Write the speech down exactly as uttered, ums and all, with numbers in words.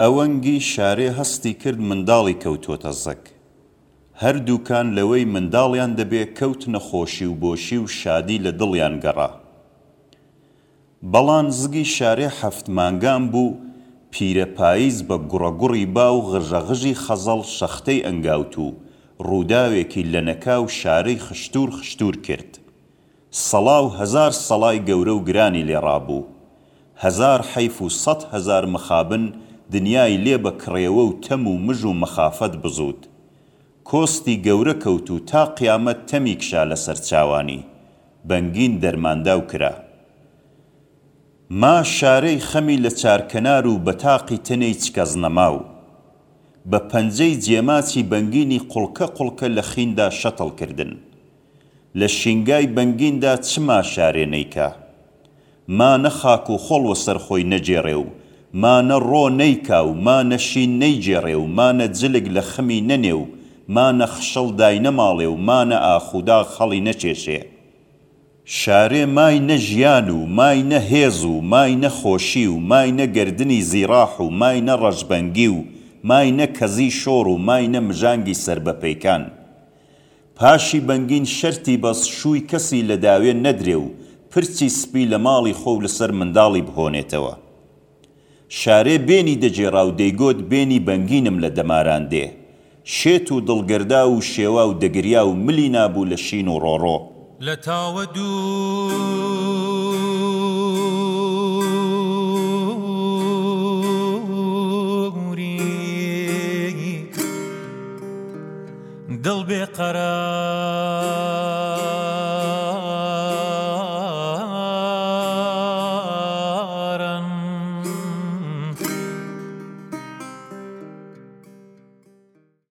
ئەوەنگی شارێ هەستی کرد منداڵی کەوتۆتە زگ. هەردووکان لەوەی منداڵیان دەبێ کەوتنە خۆشی و بۆشی و شادی لە دڵیان گەڕا. بەڵان زگی شارێ حەفت مانگان بوو، پیرە پاییز بە گوڕەگوڕی با و غژەغژی خەزەڵ شەختەی ئەنگاوت و ڕووداوێکی لەنەکاو شارەی خشتوور خشتوور کرد. سەڵا و هەزار سەڵای گەورە و گرانی لێ ڕابوو. هەزار حەیف و سەد هەزار مخابن دنیای لێ بە کڕێوە و تەم و مژ و مەخافەت بزووت. کۆستی گەورە کەوت و تا قیامەت تەمی کشا لە سەر چاوانی. بەنگین دەرمانداو کرا. ما شارەی خەمی لە چارکەنار و بەتاقی تەنێی چکەزنەماو. بە پەنجەی جێماچی بەنگینی قوڵکە قوڵکە لە خیندا شەتڵ کردن. لە شینگای بەنگیندا چ ما شارێ نەیکا؟ ما نە خاک و خۆڵ وەسەر خۆی نەگێڕێ و ما نە ڕۆ نەیکا و ما نە شین نەیگێڕێ و ما نە جلک لە خمی نەنێ و ما نە خشڵ داینەماڵێ و ما نە ئاخ و داغ هەڵی نەکێشێ. شارێ مای نە ژیان و مای نە هێز و مای نە خۆشی و مای نە گەردنی زیڕاح و مای نە ڕەشبەنگی و مای نە کەزی شۆڕ و مای نە مژانگی سەر بە پەیکان. پاشی بەنگین شەرتی بەس شووی کەسی لە داوێن نەدرێ و پرچی سپی لە ماڵی خۆ و لەسەر منداڵی بهۆنێتەوە. شارێ بێنی دەگێڕا و دەیگۆت بێنی بەنگینم لە دەماران دێ. شێت و دڵگەرداو و شێواو دەگریا و ملی نابوو لە شین و ڕۆڕۆ. لە تاوە دووری دڵ بێ قەرار.